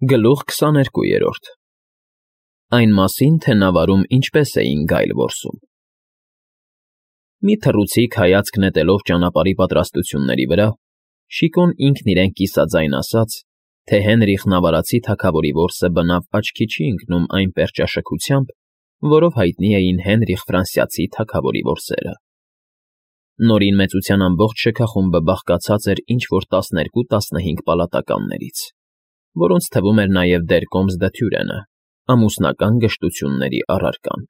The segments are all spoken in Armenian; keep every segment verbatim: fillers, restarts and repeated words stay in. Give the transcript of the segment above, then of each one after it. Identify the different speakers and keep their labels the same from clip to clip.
Speaker 1: Գլուխ քսաներկուերորդ Այն մասին, թե նավարում ինչպես էին գայլ որսում։ Մի թռուցիկ հայացք նետելով ճանապարհի պատրաստությունների վրա, Շիկոն ինքն իրեն կիսաձայն ասաց, թե Հենրիխ նավարացի թագավորի որսը բնավ աչքի չի ընկնում այն պերճաշքությամբ, որով հայտնի էին Հենրիխ Ֆրանսիացի թագավորի որսերը։ Նորին մեծության ամբողջ շքախումբը բաղկացած էր ինչ֊որ տասներկու֊տասնհինգ պալատականներից, որոնց թվում էր նաև դեր Կոմս դը Թյուրենը, ամուսնական գժտությունների առարկան։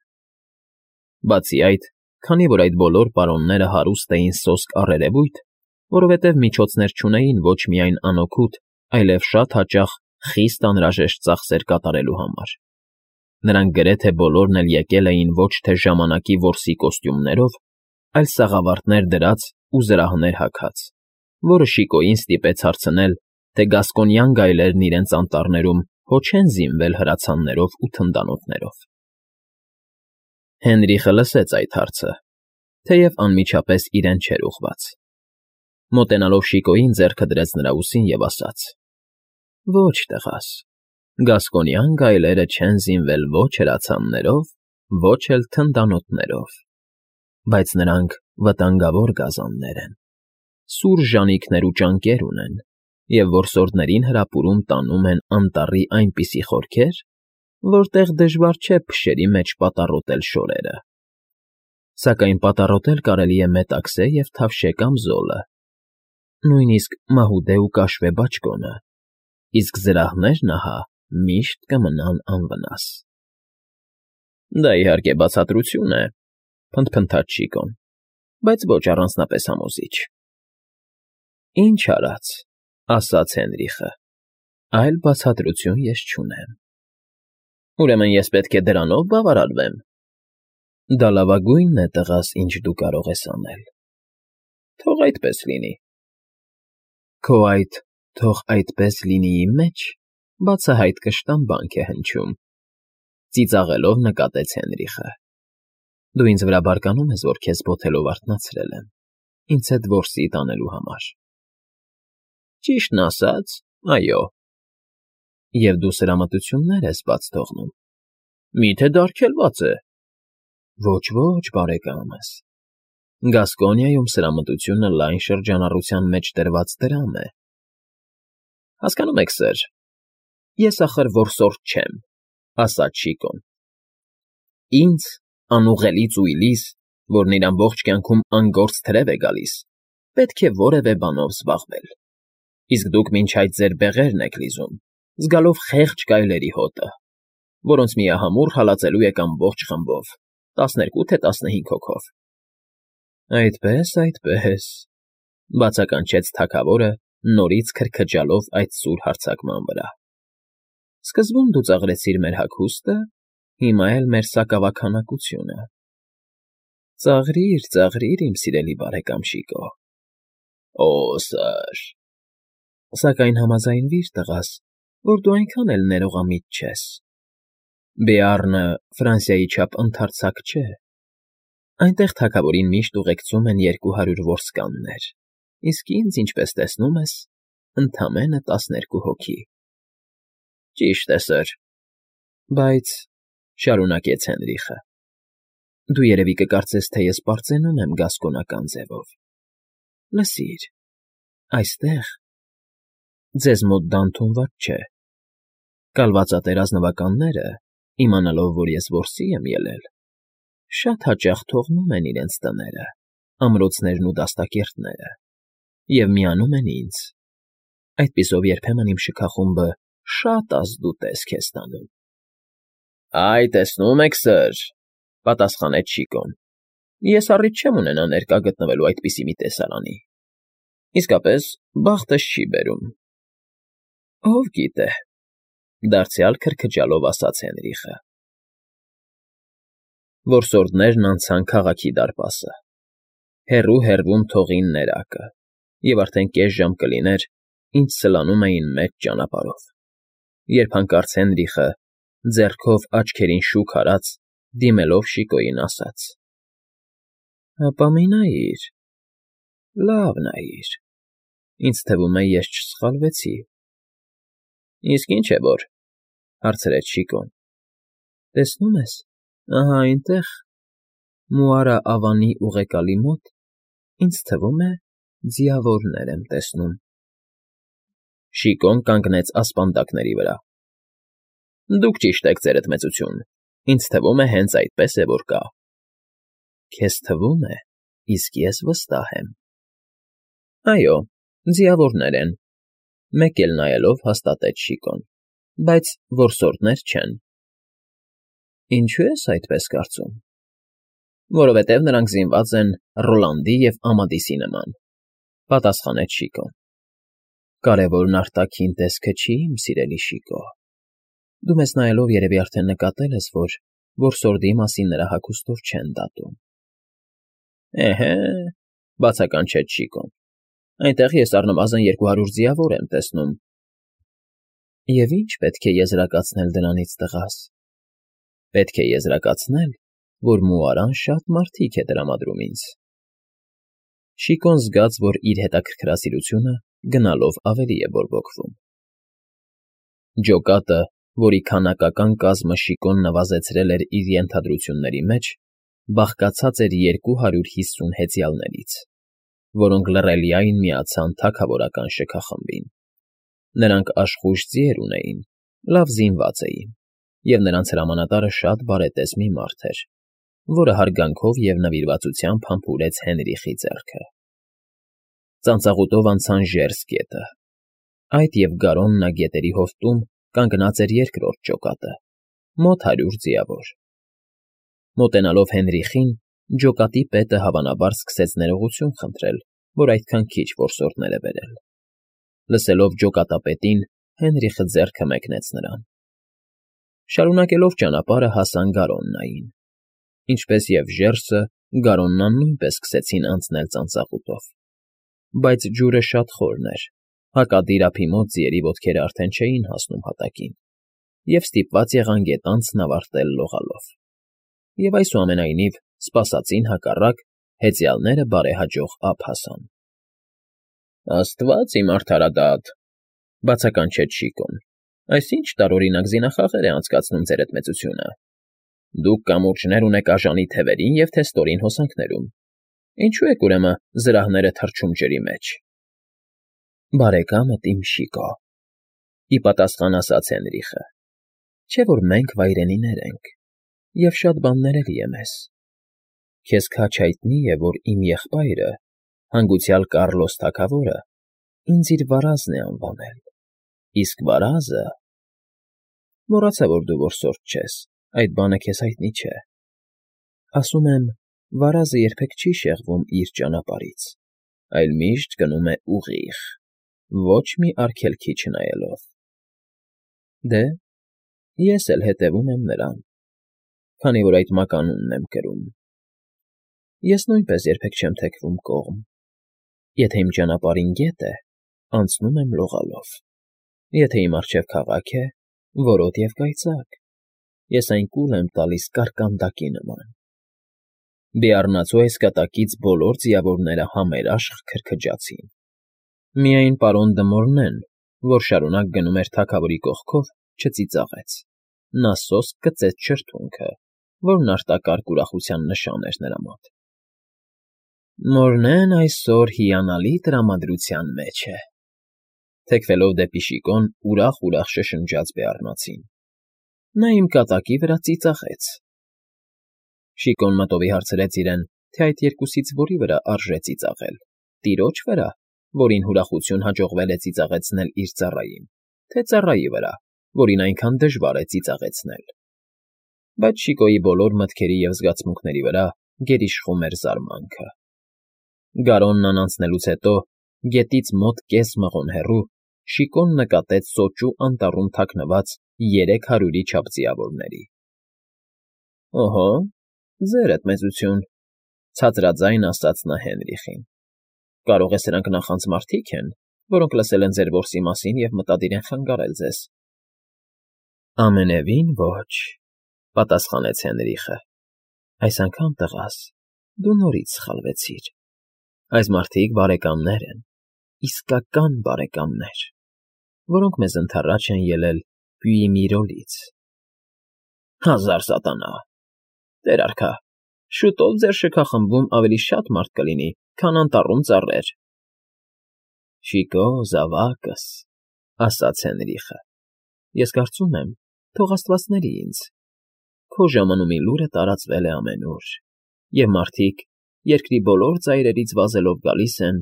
Speaker 1: Բացի այդ, քանի որ այդ բոլոր պարոնները հարուստ էին սոսկ առերևույթ, որովհետև միջոցներ չունեին ոչ միայն անօգուտ, այլև շատ հաճախ խիստ անհրաժեշտ ծախսեր կատարելու համար, նրանք գրեթե բոլորն էլ եկել էին ոչ թե ժամանակի որսի կոստյումներով, այլ սաղավարտներ դրած ու զրահներ հագած, որը Շիկոյին ստիպեց հարցնել, թե գասկոնյան գայլերն իրենց անտառներում հո չեն զինվել հրացաններով ու թնդանոթներով։ Հենրիխը լսեց այդ հարցը, թեև անմիջապես իրեն չէր ուղղված։ Մոտենալով Շիկոյին ձեռքը դրեց նրա ուսին և ասաց. «Ոչ, տղաս, գասկոնյան գայլերը չեն զինվել ոչ հրացաններով, ոչ էլ թնդանոթներով, բայց նրանք վտանգավոր գազաններ են, սուր ժանիքներ ու ճանկեր ունեն և որսորդներին հրապուրում տանում են անտառի այնպիսի խորքեր, որտեղ դժվար չէ փշերի մեջ պատառոտել շորերը։ Սակայն պատառոտել կարելի է մետաքսե և թավշե կամ զոլը, նույնիսկ մահուդե ու կաշվե բաճկոնը, իսկ զրահներն, ահա, միշտ կմնան անվնաս»։ ֊ Դա, իհարկե, բացատրություն է,֊ փնթփնթաց Շիկոն,֊ բայց ոչ առանձնապես համոզիչ։ ֊ Ինչ արած,֊ ասաց Հենրիխը,֊ այլ բացատրություն ես չունեմ։ ֊ Ուրեմն ես պետք է դրանո՞վ բավարարվեմ։ ֊ Դա լավագույնն է, տղաս, ինչ դու կարող ես անել։ ֊ Թող այդպես լինի։ ֊ Քո այդ «թող այդպես լինի»֊ի մեջ բացահայտ կշտամբանք է հնչում,֊ ծիծաղելով նկատեց Հենրիխը։֊ Դու ինձ վրա բարկանում ես, որ քեզ բոթելով արթնացրել եմ, ինձ հետ որսի տանելու համար։ ֊ Ճիշտն ասած, այո։ ֊ Եվ դու սրամտություններ ես բաց թողնում։ ֊ Մի՞թե դարգելված է։ ֊ Ոչ, ոչ, բարեկամս, Գասկոնիայում սրամտությունը լայն շրջանառության մեջ դրված դրամ է։ ֊ Հասկանում եք, սըր, ես, ախր, որսորդ չեմ,֊ ասաց Շիկոն։ ֊ Ինձ, անուղղելի ծույլիս, որն իր ամբողջ կյանքում անգործ թրև է գալիս, պետք է որևէ բանով զբաղվել, իսկ դուք մինչ այդ ձեր բեղերն եք լիզում, զգալով խեղճ գայլերի հոտը, որոնց միահամուռ հալածելու եք ամբողջ խմբով, տասներկու թե տասնհինգ հոգով։ ֊ Այդպե՜ս, այդպե՜ս,֊ բացականչեց թագավորը, նորից քրքջալով այդ սուր հարձակման վրա։ ֊ Սկզբում դու ծաղրեցիր մեր հագուստը, հիմա էլ մեր սակավաքանակությունը։ Ծաղրիր, ծաղրիր, իմ սիրելի բարեկամ Շիկո։ ֊ Օ՜, սըր… Սակայն համաձայնվիր, տղաս, որ դու այնքան էլ ներողամիտ չես։ Բեառնը Ֆրանսիայի չափ ընդարձակ չէ։ Այնտեղ թագավորին միշտ ուղեկցում են երկու հարյուր որսկաններ, իսկ ինձ, ինչպես տեսնում ես, ընդամենը տասներկու հոգի։ ֊ Ճիշտ է, սըր։ ֊ Բայց,֊ շարունակեց Հենրիխը,֊ դու երևի կկարծես, թե ես պարծենում եմ գասկոնական ձևով։ Լսիր, այստեղ… Ձեզ մոտ դա ընդունված չէ։ Կալվածատեր ազնվականները, իմանալով, որ ես որսի եմ ելել, շատ հաճախ թողնում են իրենց տները, ամրոցներն ու դաստակերտները և միանում են ինձ։ Այդպիսով երբեմն իմ շքախումբը շատ ազդուտես քեզ տանում։ ֊ Այ, տեսնում եք, սըր,֊ պատասխանեց Շիկոն,֊ ես առիթ չեմ ունենա ներկա գտնվելու այդպիսի մի տեսարանի։ Իսկապես, բախտս չի բերում։ ֊ Ով գիտե,֊ դարձյալ քրքջալով ասաց Հենրիխը։ Որսորդներն անցան քաղաքի դարպասը։ Հեռու֊հեռվում թողին ներակը, և արդեն կես ժամ կլիներ, ինչ սլանում էին մեծ ճանապարհով, երբ հանկարծ Հենրիխը, ձեռքով աչքերին շուք արած, դիմելով Շիկոյին, ասաց. ֊ Հապա մի նայիր, լավ նայիր, ինձ թվում է, ես չսխալվեցի։ Իսկ ինչ է որ,֊ հարցրեց Շիկոն։ Տեսնում ես, ահա այնտեղ, Մուարա ավանի ուղեկալի մոտ, ինձ թվում է, ձիավորներ եմ տեսնում։ Շիկոն կանգնեց ասպանդակների վրա։ Դուք ճիշտ եք, ձերդ մեծություն, ինձ թվում է հենց այդպես է, որ կա։ Քեզ թվում է, իսկ ես վստահ եմ։ Այո, ձիավորներ են, մեկ էլ նայելով հաստատեց Շիկոն, բայց որսորդներ չեն։ Ինչո՞ւ ես այդպես կարծում։ Որովհետև նրանք զինված են Ռոլանդի և Ամադիսի նման,֊ պատասխանեց Շիկոն։ Կարևորն արտաքին տեսքը չի, իմ սիրելի Շիկո։ Դու մեզ նայելով երևի արդեն նկատել ես, որ որսորդի մասին նրա հագուստով չեն դատում։ Էհե,֊ բացականչեց Շիկոն, այնտեղ ես առնվազն երկու հարյուր ձիավոր եմ տեսնում։ Եվ ի՞նչ պետք է եզրակացնել դրանից, տղաս։ Պետք է եզրակացնել, որ Մուարան շատ մարդիկ է տրամադրում ինձ։ Շիկոն զգաց, որ իր հետաքրքրասիրությունը գնալով ավելի է բորբոքվում։ Ջոկատը, որի քանակական կազմը Շիկոն նվազեցրել էր իր ենթադրությունների մեջ, բաղկացած էր երկու հարյուր հիսուն հեծյալներից, որոնք լռելիայն միացան թագավորական շքախմբին։ Նրանք աշխույժ ձիեր ունեին, լավ զինված էին, և նրանց հրամանատարը շատ բարետես մի մարդ էր, որը հարգանքով և նվիրվածությամբ համբուրեց Հենրիխի ձեռքը։ Ծանծաղուտով անցան Ժերս գետը։ Այդ և Գարոննա գետերի հովտում կանգնած էր երկրորդ ջոկատը, մոտ հարյուր ձիավոր։ Մոտենալով Հենրիխին, ջոկատի պետը հավանաբար սկսեց ներողություն խնդրել, որ այդքան քիչ որսորդներ է բերել։ Լսելով ջոկատապետին, Հենրիխը ձեռքը մեկնեց նրան։ Շարունակելով ճանապարհը հասան Գարոննային։ Ինչպես և Ժերսը, Գարոննան նույնպես սկսեցին անցնել ծանծաղուտով։ Բայց ջուրը շատ խորն էր, հակադիր ափի մոտ ձիերի ոտքերը արդեն չէին հասնում հատակին, և ստիպված եղան գետանցքն ավարտել լողալով։ Եվ այսուամենայնիվ, սպասածին հակառակ, հեծյալները բարեհաջող ափ հասան։ Աստված իմ արդարադատ,֊ բացականչեց Շիկոն,֊ այս ի՞նչ տարօրինակ զինախաղեր է անցկացնում ձերդ մեծությունը։ Դուք կամուրջներ ունեք աժանի թևերին և թե ստորին հոսանքներում։ Ինչո՞ւ եք ուրեմն զրահները թռչում ջրի մեջ։ Բարեկամդ իմ Շիկո,֊ ի պատասխան ասաց Հենրիխը,֊ չէ՞ որ մենք վայրենիներ ենք, և շատ բաներ էլի է մեզ։ Քեզ քաջ հայտնի է, որ իմ եղբայրը, հանգուցյալ Կառլոս թագավորը, ինձ իր վարազն է անվանել, իսկ վարազը… Մոռացա, որ դու որսորդ չես, այդ բանը քեզ հայտնի չէ։ Ասում եմ, վարազը երբեք չի շեղվում իր ճանապարհից, այլ միշտ գնում է ուղիղ, ոչ մի արգելքի չնայելով։ Դե, ես էլ հետևում եմ նրան, քանի որ այդ մականունն եմ կրում։ Ես նույնպես երբեք չեմ թեքվում կողմ. եթե իմ ճանապարհին գետ է, անցնում եմ լողալով, եթե իմ առջև քաղաք է, որոտ և կայծակ, ես այն կուլ եմ տալիս կարկանդակի նման։ Բեառնացու այս կատակից բոլոր ձիավորները համերաշխ քրքջացին։ Միայն պարոն Դմորնեն, որ շարունակ գնում էր թագավորի կողքով, չծիծաղեց, նա սոսկ գծեց շրթունքը, որն արտակարգ ուրախության նշան էր նրա մոտ։ Մորնեն այսօր հիանալի տրամադրության մեջ է,֊ թեքվելով դեպի Շիկոն ուրախ֊ուրախ շշնջաց բեառնացին։ Նա իմ կատակի վրա ծիծաղեց։ Շիկոն մտովի հարցրեց իրեն, թե այդ երկուսից որի վրա արժե ծիծաղել՝ տիրոջ վրա, որին ուրախություն հաջողվել է ծիծաղեցնել իր ծառային, թե ծառայի վրա, որին այնքան դժվար է ծիծաղեցնել։ Բայց Շիկոյի բոլոր մտքերի և զգացմունքների վրա գերիշխում էր զարմանքը։ Գարոննան անցնելուց հետո, գետից մոտ կես մղոն հեռու, Շիկոն նկատեց սոճու անտառում թաքնված երեք հարյուրի չափ ձիավորների։ Օհո, ձերդ մեծություն,֊ ցածրաձայն ասաց նա Հենրիխին։ Կարող է սրանք նախանձ մարդիկ են, որոնք լսել են ձեր որսի մասին և մտադիր են խանգարել ձեզ։ Ամենևին ոչ,֊ պատասխանեց Հենրիխը։ Այս անգամ, տղաս, դու նորից սխալվեցիր։ Այս մարդիկ բարեկամներ են, իսկական բարեկամներ։ որոնք մեզ ընդառաջ են ելել Պյուիմիրոլից։ Հազար սատանա, Տեր արքա, շուտով ձեր շքախմբում ավելի շատ մարդ կլինի, քան անտառում ծառեր։ Շիկո, զավակս, ասաց Հենրիխը, ես կարծում եմ, թող աստվածների ինձ։ Քո ժամանումի լուրը տարածվել է ամենուր, և մարդիկ երկրի բոլոր ծայրերից վազելով գալիս են,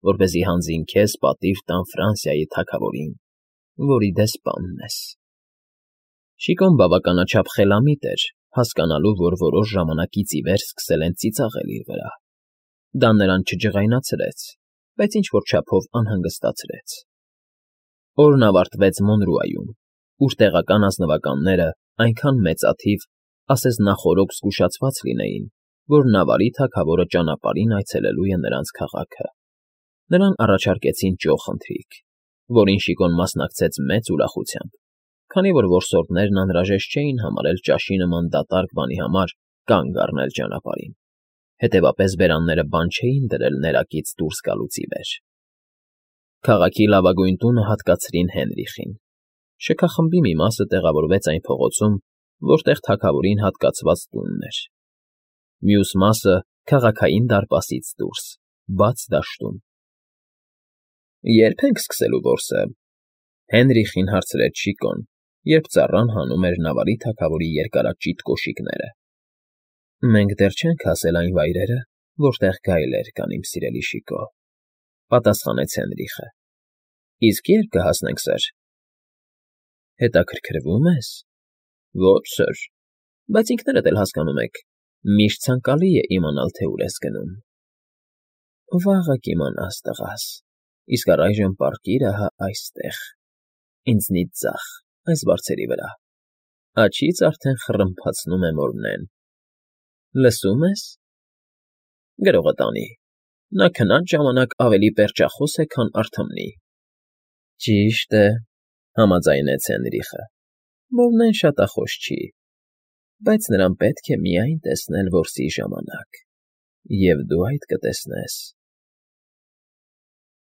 Speaker 1: որպեսզի հանձին քեզ պատիվ տան Ֆրանսիայի թագավորին, որի դեսպանն ես։ Շիկոն բավականաչափ խելամիտ էր, հասկանալու, որ որոշ ժամանակից ի վեր սկսել են ծիծաղել իր վրա։ Դա նրան չջղայնացրեց, բայց ինչ֊որ չափով անհանգստացրեց։ Օրն ավարտվեց Մոնրուայում, ուր տեղական ազնվականները այնքան մեծաթիվ, ասես նախօրոք զգուշացված լինեին, որ Նավարի թագավորը ճանապարհին այցելելու է նրանց քաղաքը։ Նրան առաջարկեցին ճոխ ընթրիք, որին Շիկոն մասնակցեց մեծ ուրախությամբ, քանի որ որսորդներն անհրաժեշտ չէին համարել ճաշի նման դատարկ բանի համար կանգ առնել ճանապարհին, հետևապես բերանները բան չէին դրել ներակից դուրս գալուց ի վեր։ Քաղաքի լավագույն տունը հատկացրին Հենրիխին։ Շքախմբի մի մասը տեղավորվեց այն փողոցում, որտեղ թագավորին հատկացված տունն էր։ Մյուս մասը քաղաքային դարպասից դուրս, բաց դաշտում։ Ե՞րբ ենք սկսելու որսը,֊ Հենրիխին հարցրեց Շիկոն, երբ ծառան հանում էր Նավարի թագավորի երկարաճիտ կոշիկները։ Մենք դեռ չենք հասել այն վայրերը, որտեղ գայլեր կան, իմ սիրելի Շիկո,֊ պատասխանեց Հենրիխը։ Իսկ ե՞րբ կհասնենք, սըր։ Հետաքրքրվում ես։ Ոչ, սըր, բայց ինքներդ էլ հասկանում եք, միշտ ցանկալի է իմանալ, թե ուր ես գնում։ Վաղը կիմանաս, տղաս, իսկ առայժմ պառկիր ահա այստեղ, ինձնից ձախ, այս բարձերի վրա, աջից արդեն խռմփացնում է Մորնեն։ Լսում ես։ Գրողը տանի, նա քնած ժամանակ ավելի պերճախոս է, քան արթմնի։ Ճիշտ է, համաձայնեց Հենրիխը, Մորնեն շատախոս չի, բայց նրան պետք է միայն տեսնել որսի ժամանակ, և դու այդ կտեսնես